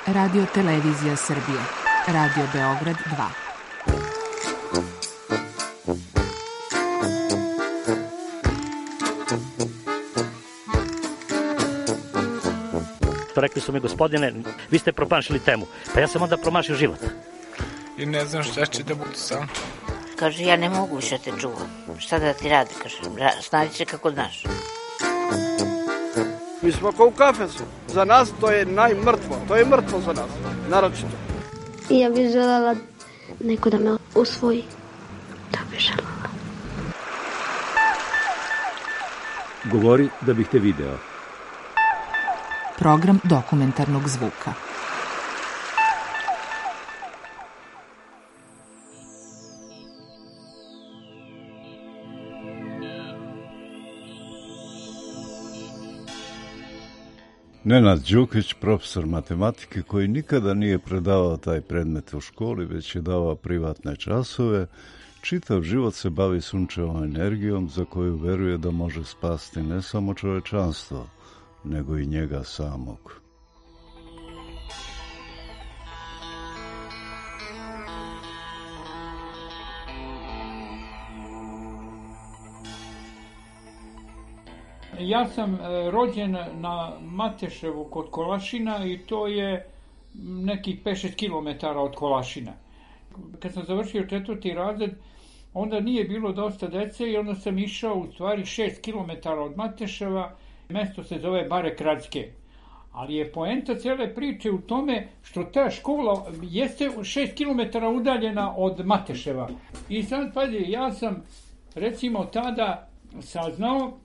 Radio Televizija Srbije. Radio Beograd 2. Rekli su mi, gospodine, vi ste promašili temu. Pa ja sam onda promašio život. I ne znam šta će da bude sam. Kaže, ja ne mogu više te čuvam. Šta da ti radi, kaže, snađi se kako znaš. Mi smo kao u kafesu. Za nas to je najmrtvo. To je mrtvo za nas, naročito. I ja bih želela neko da me usvoji. To bih želela. Govori da bih te video. Program dokumentarnog zvuka. Nenad Đukić, profesor matematike koji nikada nije predavao taj predmet u školi, već je davao privatne časove, čitav život se bavi sunčevom energijom za koju veruje da može spasti ne samo čovečanstvo, nego i njega samog. Ja sam rođen na Mateševu kod Kolašina i to je nekih 5-6 km od Kolašina. Kad sam završio 4. razred, onda nije bilo dosta dece i onda sam išao u stvari 6 km od Mateševa. Mesto se zove Bare Kradske. Ali je poenta cele priče u tome što ta škola jeste 6 km udaljena od Mateševa. I sad, pazi, ja sam recimo tada saznao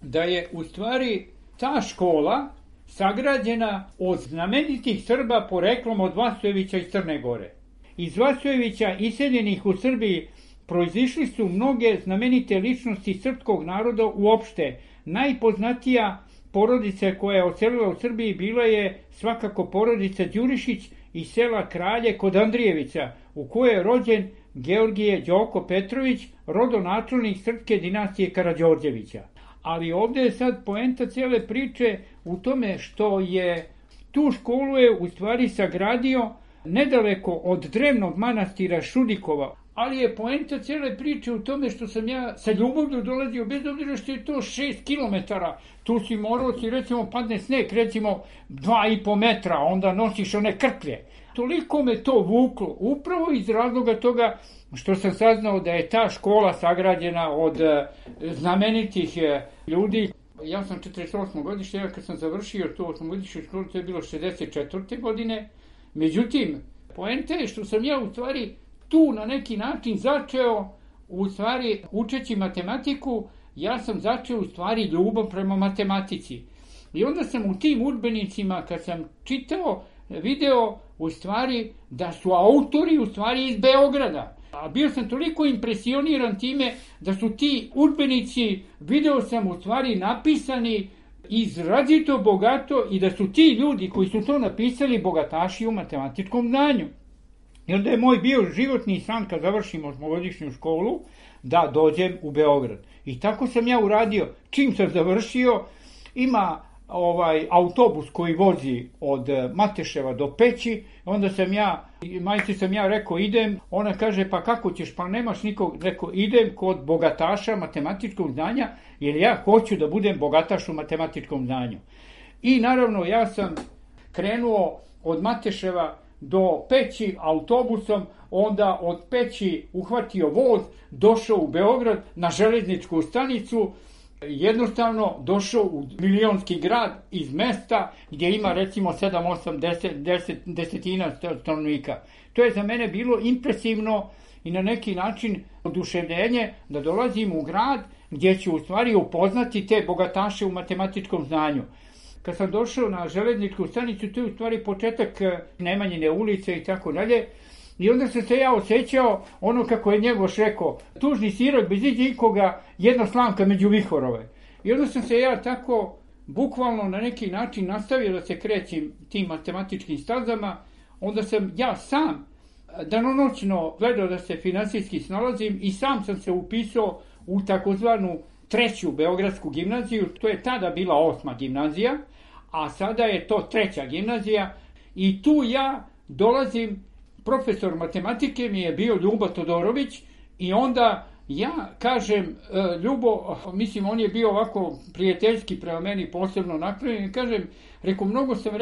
da je u stvari ta škola sagrađena od znamenitih Srba poreklom od Vasojevića iz Crne Gore. Iz Vasojevića iseljenih u Srbiji proizišli su mnoge znamenite ličnosti srpskog naroda uopšte. Najpoznatija porodica koja je oselila u Srbiji bila je svakako porodica Đurišić iz sela Kralje kod Andrijevića, u kojoj je rođen Georgije Đoko Petrović, rodonačelnik srpske dinastije Karađorđevića. Ali ovdje je sad poenta cijele priče u tome što je tu školu je u stvari sagradio nedaleko od drevnog manastira Šudikova. Ali je poenta cijele priče u tome što sam ja sa ljubavlju dolazio, bez obzira što je to 6 km. Tu si morao, recimo, padne sneg, recimo 2,5 metra, onda nosiš one krplje. Toliko me to vuklo, upravo iz razloga toga što sam saznao da je ta škola sagrađena od znamenitih ljudi. Ja sam 48. godište, ja kad sam završio tu 8-godišnju školu, to je bilo 64. godine. Međutim, poenta je što sam ja u stvari tu na neki način začeo, u stvari učeći matematiku, ja sam začeo u stvari ljubav prema matematici. I onda sam u tim udžbenicima, kad sam čitao, video u stvari da su autori u stvari iz Beograda. A bio sam toliko impresioniran time da su ti udžbenici, video sam u stvari napisani izrazito bogato i da su ti ljudi koji su to napisali bogataši u matematičkom znanju. I onda je moj bio životni san kad završim 8-godišnju školu da dođem u Beograd. I tako sam ja uradio. Čim sam završio, ima autobus koji vozi od Mateševa do Peći, onda sam ja, majci sam ja rekao idem, ona kaže pa kako ćeš, pa nemaš nikog, rekao idem kod bogataša matematičkog znanja, jer ja hoću da budem bogataš u matematičkom znanju. I naravno ja sam krenuo od Mateševa do Peći autobusom, onda od Peći uhvatio voz, došao u Beograd na železničku stanicu, jednostavno došao u milionski grad iz mesta gdje ima recimo 7, 8, 10 stanovnika. To je za mene bilo impresivno i na neki način oduševljenje da dolazim u grad gdje ću u stvari upoznati te bogataše u matematičkom znanju. Kad sam došao na železničku stanicu, to je u stvari početak Nemanjine ulice i tako dalje. I onda sam se ja osjećao ono kako je Njegoš rekao, tužni sirot bez ikoga, jedna slamka među vihorove. I onda sam se ja tako bukvalno na neki način nastavio da se krećem tim matematičkim stazama. Onda sam ja sam danonoćno gledao da se finansijski snalazim i sam sam se upisao u takozvanu 3. Beogradsku gimnaziju. To je tada bila 8. gimnazija, a sada je to 3. gimnazija. I tu ja dolazim, profesor matematike mi je bio Ljubo Todorović i onda ja kažem, Ljubo, mislim on je bio ovako prijateljski prema meni posebno naklonjen, kažem, mnogo sam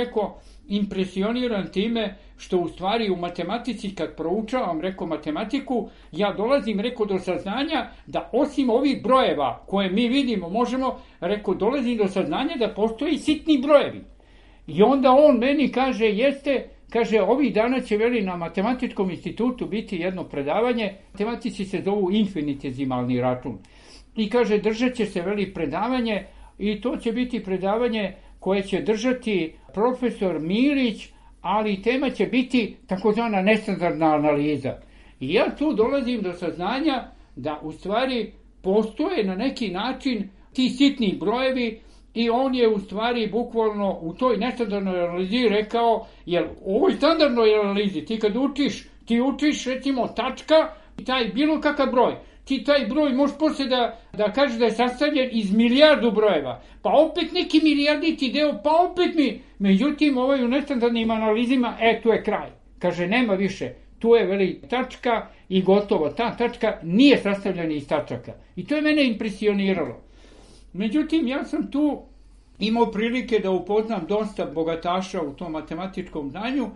impresioniran time što u stvari u matematici kad proučavam, matematiku, ja dolazim, do saznanja da osim ovih brojeva koje mi vidimo, možemo, dolazim do saznanja da postoje i sitni brojevi. I onda on meni kaže, kaže, ovih dana će na Matematičkom institutu biti jedno predavanje, matematici se zovu infinitezimalni račun. I kaže, držat će se predavanje i to će biti predavanje koje će držati profesor Milić, ali tema će biti takozvana nestandardna analiza. I ja tu dolazim do saznanja da u stvari postoje na neki način ti sitni brojevi i on je u stvari bukvalno u toj nestandardnoj analizi rekao, jer u ovoj standardnoj analizi ti kad učiš recimo tačka, taj bilo kakav broj, ti taj broj možeš poslije da kažeš da je sastavljen iz milijardu brojeva, pa opet neki milijarditi deo, pa opet međutim u nestandardnim analizima, tu je kraj. Kaže, nema više, tu je tačka i gotovo, ta tačka nije sastavljena iz tačaka. I to je mene impresioniralo. Međutim, ja sam tu imao prilike da upoznam dosta bogataša u tom matematičkom znanju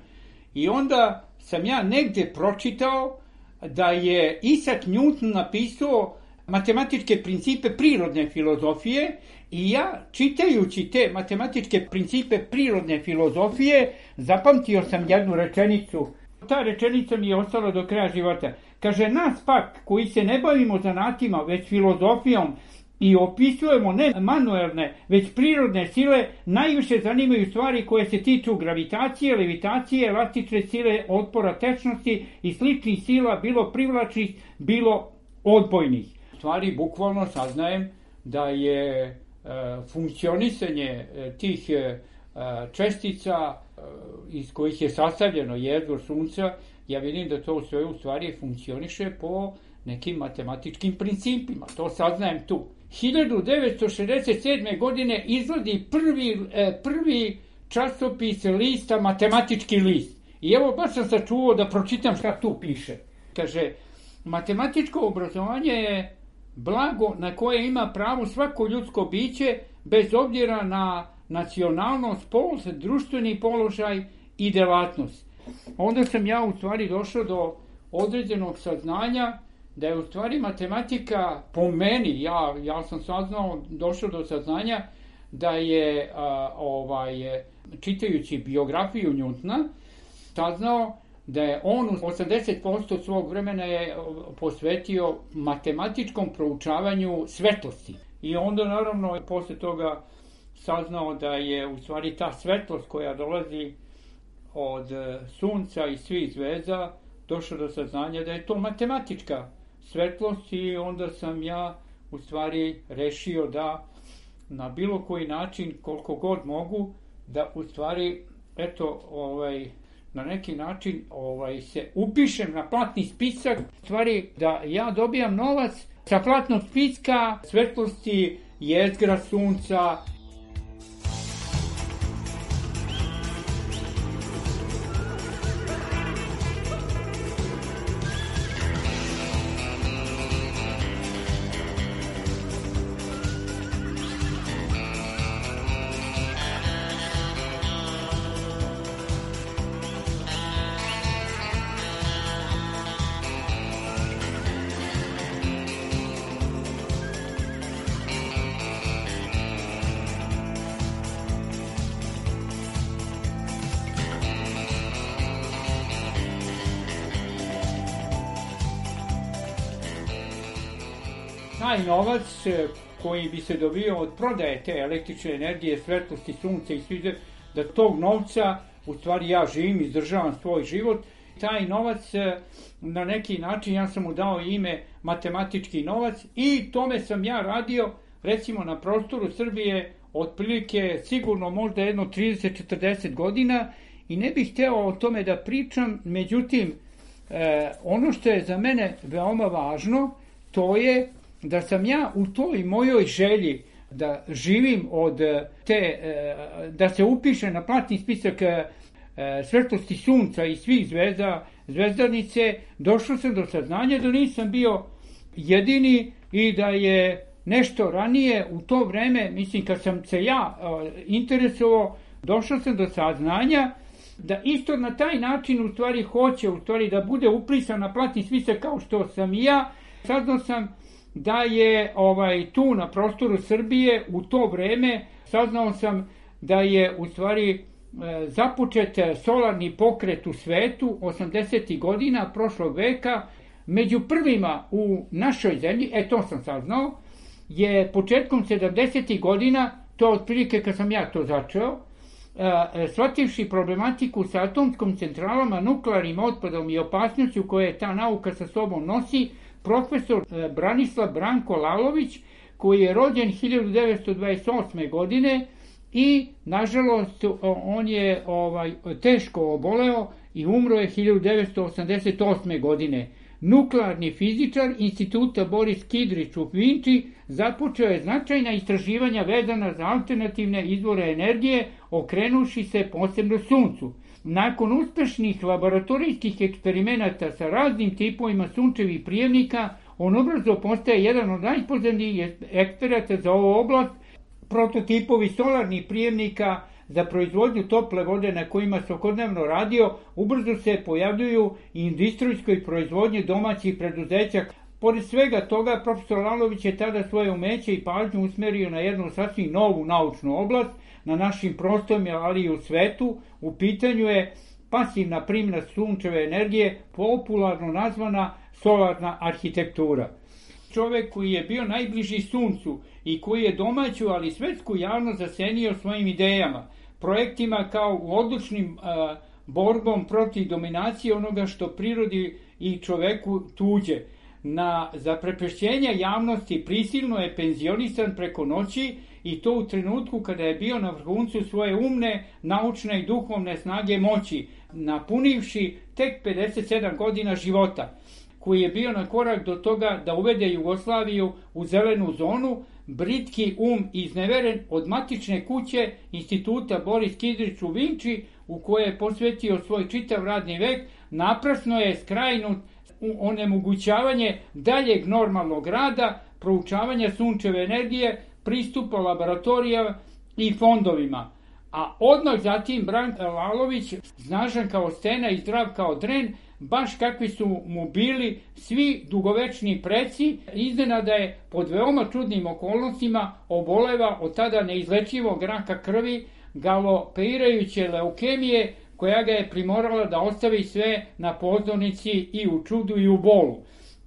i onda sam ja negdje pročitao da je Isaac Newton napisao matematičke principe prirodne filozofije i ja, čitajući te matematičke principe prirodne filozofije, zapamtio sam jednu rečenicu. Ta rečenica mi je ostala do kraja života. Kaže, nas pak, koji se ne bavimo zanatima, već filozofijom, i opisujemo ne manuelne, već prirodne sile, najviše zanimaju stvari koje se tiču gravitacije, levitacije, elastične sile, otpora tečnosti i sličnih sila, bilo privlačnih, bilo odbojnih. U stvari, bukvalno saznajem da je funkcionisanje tih čestica iz kojih je sastavljeno jedro Sunca, ja vidim da to sve u stvari funkcioniše po nekim matematičkim principima. To saznajem tu. 1967. godine izlazi prvi časopis lista Matematički list. I evo baš sam sačuvao da pročitam šta tu piše. Kaže, matematičko obrazovanje je blago na koje ima pravo svako ljudsko biće bez obzira na nacionalnost, pol, društveni položaj i delatnost. Onda sam ja u stvari došao do određenog saznanja da je u stvari matematika po meni, ja sam došao do saznanja da je čitajući biografiju Newtona saznao da je on 80% svog vremena je posvetio matematičkom proučavanju svetlosti. I onda naravno posle toga saznao da je u stvari ta svetlost koja dolazi od Sunca i svih zvezda došao do saznanja da je to matematička svetlost i onda sam ja u stvari rešio da na bilo koji način, koliko god mogu, da u stvari na neki način se upišem na platni spisak, u stvari da ja dobijam novac sa platnog spiska svetlosti jezgra Sunca. Taj novac koji bi se dobio od prodaje te električne energije, svetlosti, sunca i svi, da tog novca u stvari ja živim, izdržavam svoj život. Taj novac na neki način, ja sam mu dao ime matematički novac i tome sam ja radio recimo na prostoru Srbije otprilike sigurno možda jedno 30-40 godina i ne bih hteo o tome da pričam, međutim ono što je za mene veoma važno to je da sam ja u toj mojoj želji da živim od te, da se upiše na platni spisak svetlosti sunca i svih zvezdanice, došao sam do saznanja da nisam bio jedini i da je nešto ranije u to vreme, mislim kad sam se ja interesovao, došao sam do saznanja da isto na taj način u stvari hoće da bude uplisan na platni spisak kao što sam i ja. Saznao sam da je tu na prostoru Srbije u to vreme, saznao sam da je u stvari započet solarni pokret u svetu 80. godina prošlog veka. Među prvima u našoj zemlji, to sam saznao, je početkom 70. godina, to je otprilike kad sam ja to začeo, shvativši problematiku sa atomskom centralama, nuklearnim otpadom i opasnošću koje ta nauka sa sobom nosi, profesor Branislav Branko Lalović, koji je rođen 1928. godine i, nažalost, on je teško oboleo i umro je 1988. godine. Nuklearni fizičar Instituta Boris Kidrić u Vinči započeo je značajna istraživanja vezana za alternativne izvore energije, okrenuši se posebno suncu. Nakon uspešnih laboratorijskih eksperimenata sa raznim tipovima sunčevih prijemnika, on ubrzo postaje jedan od najpoznatijih eksperata za ovu oblast. Prototipovi solarnih prijemnika za proizvodnju tople vode na kojima se svakodnevno radio, ubrzo se pojavljuju i industrijskoj proizvodnji domaćih preduzeća. Pored svega toga, profesor Lalović je tada svoje umeće i pažnju usmerio na jednu sasvim novu naučnu oblast, na našim prostorima, ali i u svetu. U pitanju je pasivna primjena sunčeve energije, popularno nazvana solarna arhitektura. Čovek koji je bio najbliži suncu i koji je domaću, ali svetsku javnost zasenio svojim idejama, projektima kao u odlučnim borbom protiv dominacije onoga što prirodi i čoveku tuđe. Na zaprepešćenje javnosti prisilno je penzionisan preko noći i to u trenutku kada je bio na vrhuncu svoje umne, naučne i duhovne snage moći, napunivši tek 57 godina života, koji je bio na korak do toga da uvede Jugoslaviju u zelenu zonu. Britki izneveren od matične kuće Instituta Boris Kidrić u Vinči, u koje je posvetio svoj čitav radni vek, naprasno je skrajnut onemogućavanje daljeg normalnog rada, proučavanja sunčeve energije, pristupa laboratorijama i fondovima. A odmah zatim Branko Lalović, snažan kao stena i zdrav kao dren, baš kakvi su mu bili svi dugovečni preci, iznenada je pod veoma čudnim okolnostima oboleva od tada neizlečivog raka krvi, galopirajuće leukemije, koja ga je primorala da ostavi sve na pozornici i u čudu i u bolu.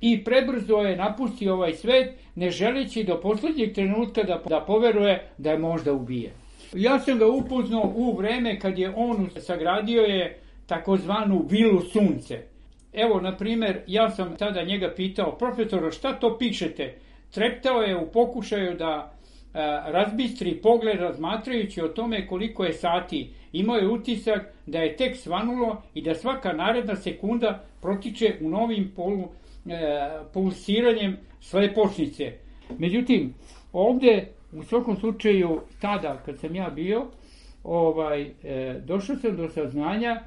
I prebrzo je napustio ovaj svet, ne želeći do poslednjeg trenutka da poveruje da je možda ubije. Ja sam ga upoznao u vreme kad je on sagradio je takozvanu vilu sunce. Evo, na primer, ja sam tada njega pitao, profesora, šta to pišete? Treptao je u pokušaju da razbistri pogled razmatrajući o tome koliko je sati. Imao je utisak da je tek svanulo i da svaka naredna sekunda protiče u novim pulsiranjem slepočnice. Međutim, ovde, u svakom slučaju, tada kad sam ja bio, došao sam do saznanja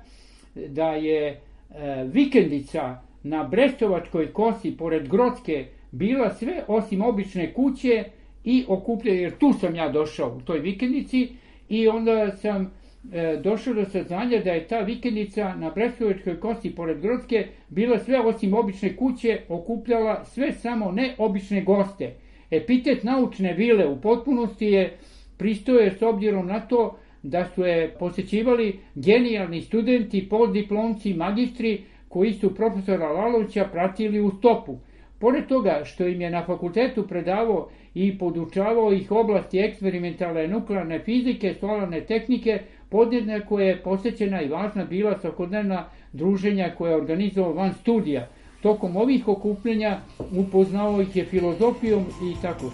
da je vikendica na Brestovačkoj kosi pored Grocke bila sve osim obične kuće i okupljena, jer tu sam ja došao u toj vikendici i onda sam došao do saznanja da je ta vikendica na Brestovačkoj kosi pored Grocke bila sve osim obične kuće, okupljala sve samo ne obične goste. Epitet naučne vile u potpunosti je pristoje s obzirom na to da su je posećivali genijalni studenti, postdiplomci, magistri koji su profesora Lalovića pratili u stopu. Pored toga što im je na fakultetu predavao i podučavao ih oblasti eksperimentalne nuklearne fizike, solarne tehnike, podjednako je posećena i važna bila svakodnevna druženja koje je organizovao van studija. Tokom ovih okupljenja upoznao ih je filozofijom i tako.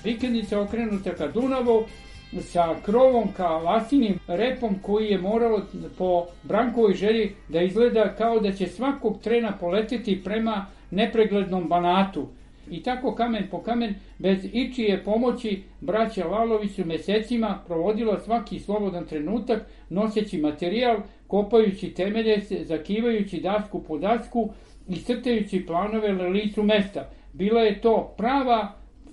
vikendica okrenuta ka Dunavu, sa krovom ka lasinim repom koji je moralo po Brankovoj želji da izgleda kao da će svakog trena poleteti prema nepreglednom Banatu. I tako kamen po kamen, bez ičije pomoći, braća Lalović su mesecima provodila svaki slobodan trenutak, noseći materijal, kopajući temelje, zakivajući dasku po dasku i crtajući planove na licu mesta. Bila je to prava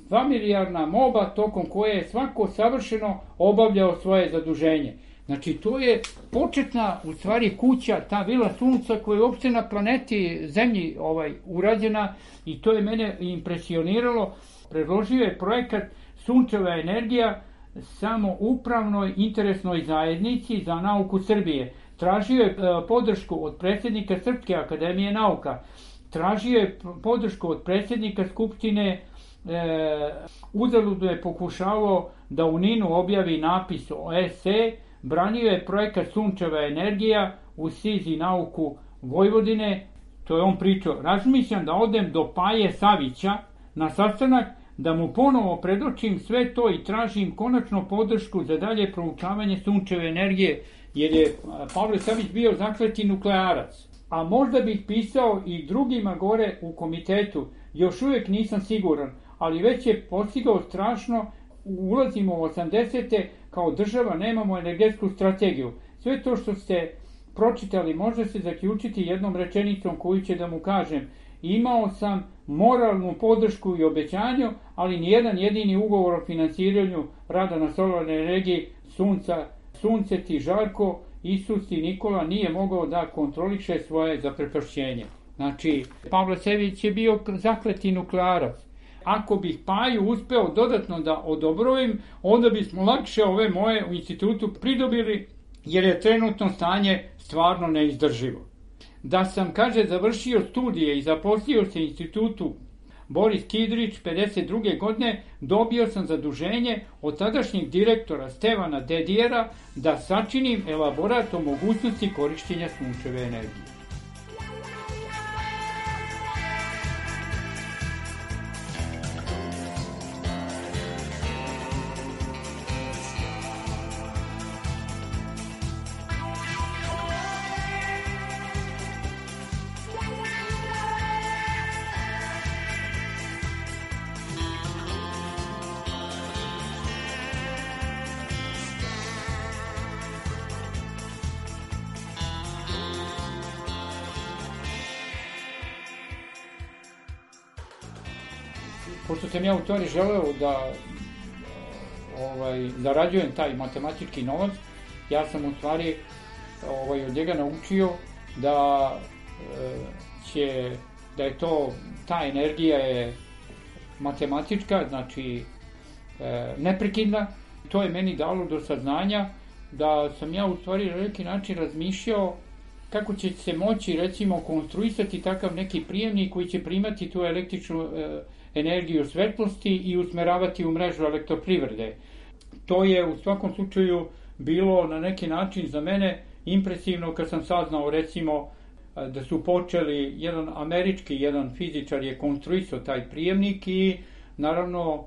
familijarna moba tokom koje je svako savršeno obavljao svoje zaduženje. Znači, to je početna, u stvari, kuća, ta vila Sunca koja je uopšte na planeti Zemlji urađena i to je mene impresioniralo. Predložio je projekat Sunčeva energija samoupravnoj interesnoj zajednici za nauku Srbije. Tražio je podršku od predsjednika Srpske akademije nauka. Tražio je podršku od predsjednika Skupštine. Uzaludno je pokušavao da u Ninu objavi napis o esej. Branio je projekat Sunčeva energija u SIZ nauku Vojvodine. To je on pričao. Razmišljam da odem do Paje Savića na sastanak, da mu ponovo predočim sve to i tražim konačno podršku za dalje proučavanje Sunčeve energije, jer je Pavle Savić bio zakleti nuklearac. A možda bih pisao i drugima gore u komitetu, još uvijek nisam siguran, ali već je postigao strašno. Ulazimo u 80. kao država, nemamo energetsku strategiju. Sve to što ste pročitali može se zaključiti jednom rečenicom koju će da mu kažem. Imao sam moralnu podršku i obećanju, ali nijedan jedini ugovor o financiranju rada na solarnoj energiji Sunce ti Žarko, Isus i Nikola nije mogao da kontroliše svoje zaprepašćenje. Znači, Pavle Savić je bio zakleti nuklearac. Ako bih Paju uspeo dodatno da odobrovim, onda bismo lakše ove moje u institutu pridobili, jer je trenutno stanje stvarno neizdrživo. Da sam, kaže, završio studije i zaposlio se u institutu Boris Kidrić 52. godine, dobio sam zaduženje od tadašnjeg direktora Stevana Dedijera da sačinim elaborat o mogućnosti korišćenja sunčeve energije. Pošto sam ja u stvari želeo da zarađujem taj matematički novac, ja sam u stvari od njega naučio da je ta energija je matematička, znači neprekidna. To je meni dalo do saznanja da sam ja u stvari na neki način razmišljao kako će se moći, recimo, konstruisati takav neki prijemnik koji će primati tu električnu energiju svetlosti i usmeravati u mrežu elektroprivrede. To je u svakom slučaju bilo na neki način za mene impresivno kad sam saznao, recimo, da su počeli, jedan fizičar je konstruisao taj prijemnik i naravno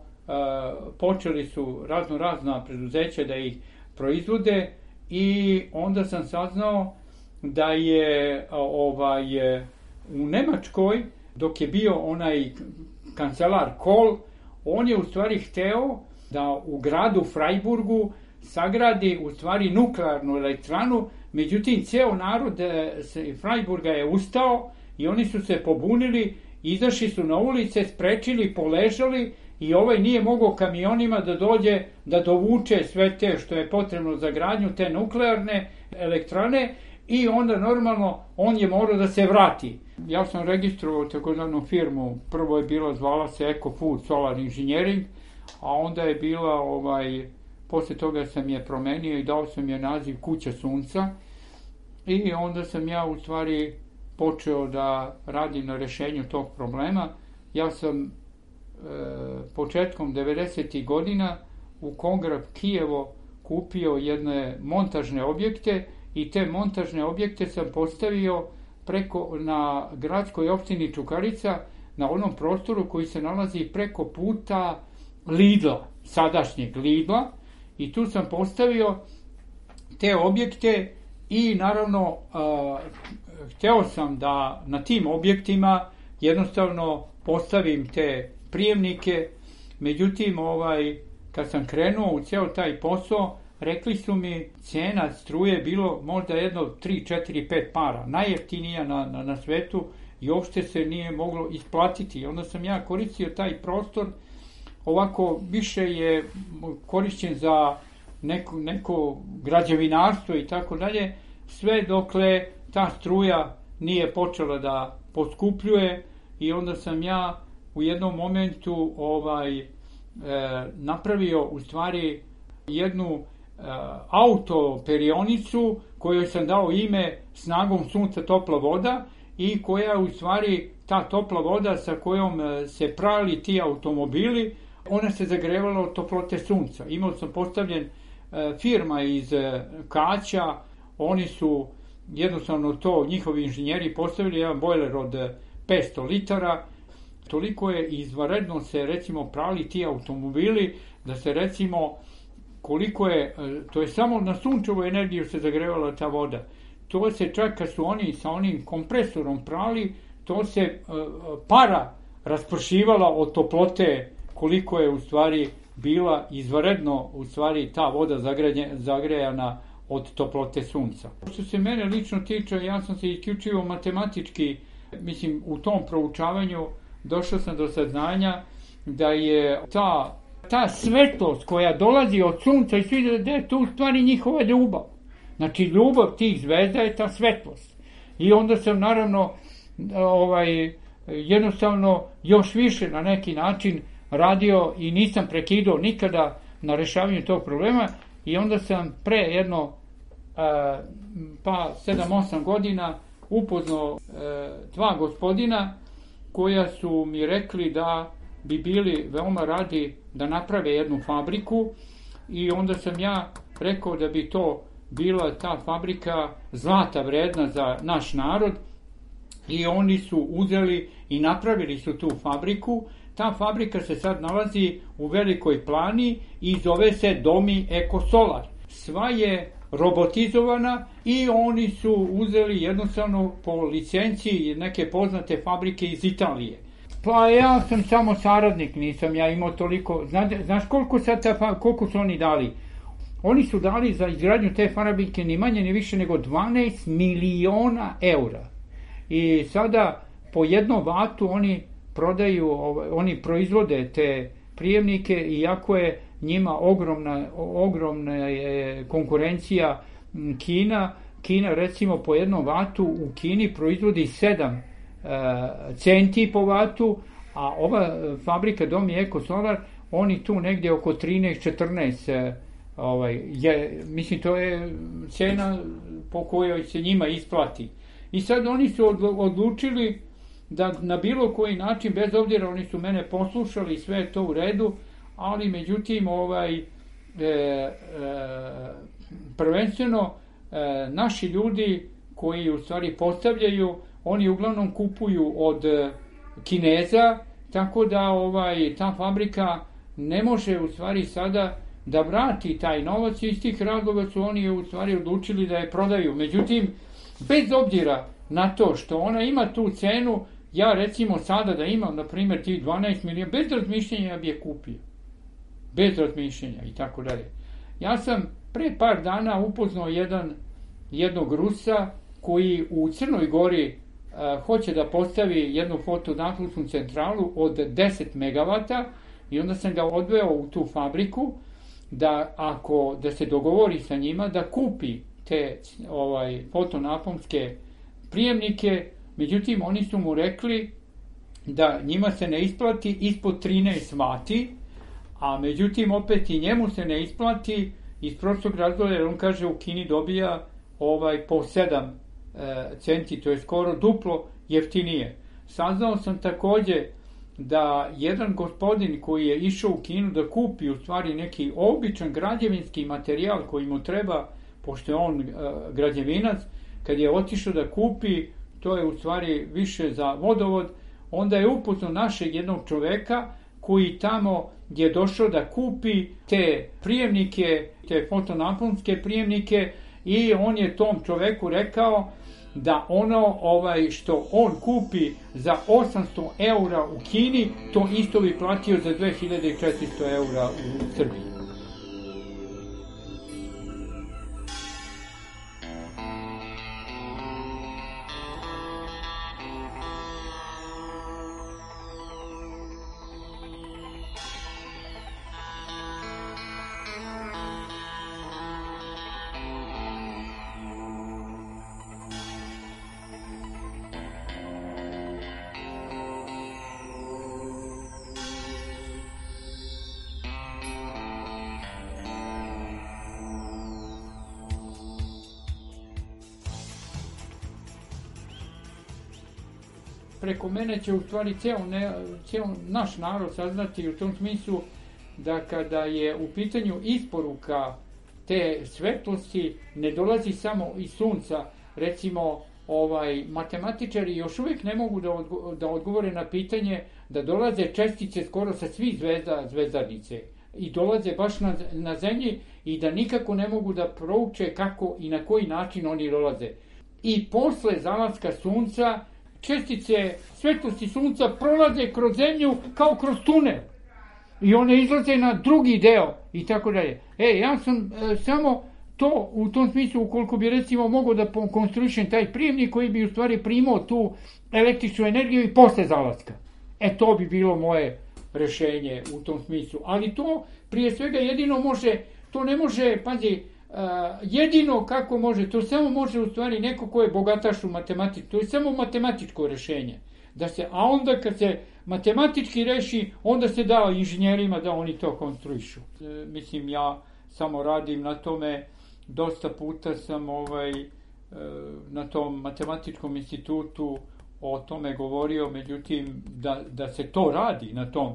počeli su razna preduzeća da ih proizvode i onda sam saznao da je u Nemačkoj, dok je bio onaj kancelar Kohl, on je u stvari hteo da u gradu Freiburgu sagradi u stvari nuklearnu elektranu, međutim ceo narod Freiburga je ustao i oni su se pobunili, izašli su na ulice, sprečili, poležali i nije mogao kamionima da dođe da dovuče sve te što je potrebno za gradnju te nuklearne elektrane i onda normalno on je morao da se vrati. Ja sam registrovao takozvanu firmu, prvo je bila, zvala se Eco Food Solar Engineering, a onda je bila, posle toga sam je promenio i dao sam je naziv Kuća Sunca i onda sam ja u stvari počeo da radim na rešenju tog problema. Ja sam početkom 90. godina u Kongrad Kijevo kupio jedne montažne objekte i te montažne objekte sam postavio na gradskoj opštini Čukarica, na onom prostoru koji se nalazi preko puta Lidla, sadašnjeg Lidla, i tu sam postavio te objekte i naravno hteo sam da na tim objektima jednostavno postavim te prijemnike. Međutim, kad sam krenuo u ceo taj posao, rekli su mi cena struje bilo možda jedno 3, 4, 5 para, najjeftinija na svetu i uopšte se nije moglo isplatiti. Onda sam ja koristio taj prostor, ovako više je korišćen za neko građevinarstvo i tako dalje, sve dokle ta struja nije počela da poskupljuje, i onda sam ja u jednom momentu napravio u stvari jednu autoperionicu kojoj sam dao ime Snagom sunca topla voda, i koja u stvari ta topla voda sa kojom se prali ti automobili, ona se zagrevala od toplote sunca. Imao sam postavljen firma iz Kaća, oni su jednostavno to, njihovi inženjeri postavili jedan bojler od 500 litara, toliko je izvanredno se recimo prali ti automobili, da se recimo koliko je, to je samo na sunčevu energiju se zagrevala ta voda. To se čak kad su oni sa onim kompresorom prali, to se para raspršivala od toplote, koliko je u stvari bila izvanredno u stvari ta voda zagrejana od toplote sunca. Što se mene lično tiče, ja sam se isključivo matematički, mislim, u tom proučavanju došao sam do saznanja da je ta svetlost koja dolazi od sunca i svi da je to u stvari njihova ljubav. Znači, ljubav tih zvezda je ta svetlost. I onda sam naravno jednostavno još više na neki način radio i nisam prekidao nikada na rešavanju tog problema, i onda sam pre jedno 7-8 godina upoznao dva gospodina koja su mi rekli da bi bili veoma radi da naprave jednu fabriku, i onda sam ja rekao da bi to bila ta fabrika zlata vredna za naš narod, i oni su uzeli i napravili su tu fabriku. Ta fabrika se sad nalazi u Velikoj Plani i zove se Domi Ekosolar. Sva je robotizovana i oni su uzeli jednostavno po licenciji neke poznate fabrike iz Italije. Pa ja sam samo saradnik, nisam ja imao toliko. Znaš koliko su oni dali? Oni su dali za izgradnju te fabrike ni manje ni više nego 12 miliona eura. I sada po jednom vatu oni proizvode te prijemnike, iako je njima ogromna je konkurencija Kina. Kina recimo po jednom vatu u Kini proizvodi 7 centi po vatu, a ova fabrika Domi Ekosolar, oni tu negdje oko 13-14, mislim to je cena po kojoj se njima isplati. I sad oni su odlučili da na bilo koji način, bez obzira oni su mene poslušali i sve je to u redu, ali međutim prvenstveno naši ljudi koji u stvari postavljaju, oni uglavnom kupuju od Kineza, tako da ta fabrika ne može u stvari sada da vrati taj novac, i iz tih razloga su oni u stvari odlučili da je prodaju. Međutim, bez obzira na to što ona ima tu cenu, ja recimo sada da imam, na primjer, tih 12 milijuna, bez razmišljenja ja bi je kupio. Bez razmišljenja i tako dalje. Ja sam pre par dana upoznao jednog Rusa koji u Crnoj Gori hoće da postavi jednu fotonaposnu centralu od 10 megavata, i onda sam ga odveo u tu fabriku da se dogovori sa njima da kupi te fotonaponske prijemnike. Međutim, oni su mu rekli da njima se ne isplati ispod 13 vati, a međutim opet i njemu se ne isplati iz prostog razloga, jer on kaže u Kini dobija po 7 centi, to je skoro duplo jeftinije. Saznao sam takođe da jedan gospodin koji je išao u Kinu da kupi u stvari neki običan građevinski materijal koji mu treba, pošto je on građevinac, kad je otišao da kupi, to je u stvari više za vodovod, onda je upoznao našeg jednog čoveka koji tamo je došao da kupi te prijemnike, te fotonaponske prijemnike i on je tom čoveku rekao da ono što on kupi za 800 eura u Kini, to isto bi platio za 2400 eura u Srbiji. Preko mene će u stvari ceo naš narod saznati u tom smislu da kada je u pitanju isporuka te svetlosti ne dolazi samo iz sunca. Recimo, matematičari još uvijek ne mogu da odgovore na pitanje da dolaze čestice skoro sa svih zvezdarnice i dolaze baš na zemlji i da nikako ne mogu da prouče kako i na koji način oni dolaze. I posle zalaska sunca čestice svetlosti sunca prolaze kroz zemlju kao kroz tunel i one izlaze na drugi deo i tako dalje. Ja sam samo to u tom smislu, ukoliko bi recimo mogao da konstruišem taj prijemnik koji bi u stvari primao tu električnu energiju i posle zalaska. To bi bilo moje rešenje u tom smislu. Ali to prije svega jedino može, to ne može, pazi, jedino kako može, to samo može u stvari neko ko je bogataš u matematici, to je samo matematičko rešenje. A onda kad se matematički reši, onda se da inženjerima da oni to konstruišu. Mislim, ja samo radim na tome, dosta puta sam na tom matematičkom institutu o tome govorio, međutim, da se to radi na tom,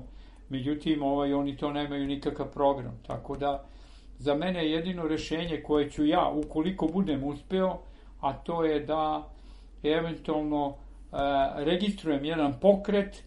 međutim, oni to nemaju nikakav program, tako da za mene je jedino rešenje koje ću ja, ukoliko budem uspeo, a to je da eventualno registrujem jedan pokret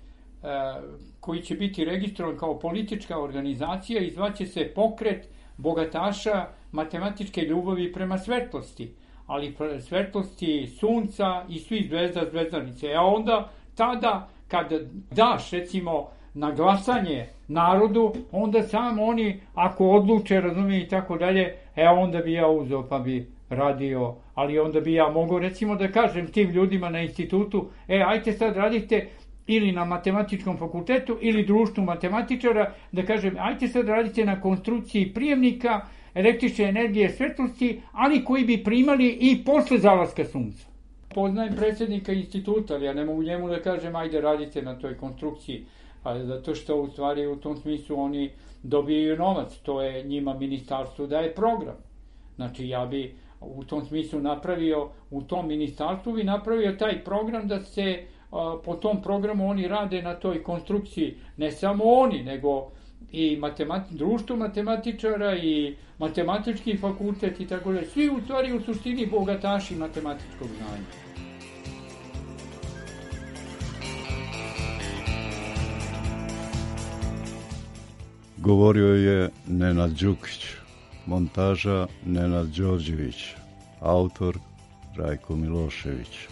koji će biti registrovan kao politička organizacija i zvaće se Pokret bogataša matematičke ljubavi prema svetlosti, ali svetlosti sunca i svih zvezdarnice. A onda tada kad daš recimo na glasanje narodu, onda sam oni, ako odluče, razumije i tako dalje, onda bi ja uzeo pa bi radio, ali onda bi ja mogao recimo da kažem tim ljudima na institutu, ajte sad radite ili na matematičkom fakultetu ili društvu matematičara, da kažem, ajte sad radite na konstrukciji prijemnika električne energije svetlosti, ali koji bi primali i posle zalaska sunca. Poznajem predsjednika instituta, ali ja ne mogu njemu da kažem, ajde radite na toj konstrukciji, zato što u stvari u tom smislu oni dobijaju novac, to je njima ministarstvo daje program. Znači ja bi u tom smislu napravio, u tom ministarstvu bi napravio taj program da se po tom programu oni rade na toj konstrukciji, ne samo oni, nego i društvo matematičara i matematički fakultet i tako dalje. Svi u stvari u suštini bogataši matematičkog znanja. Govorio je Nenad Đukić, montaža Nenad Đorđević, autor Rajko Milošević.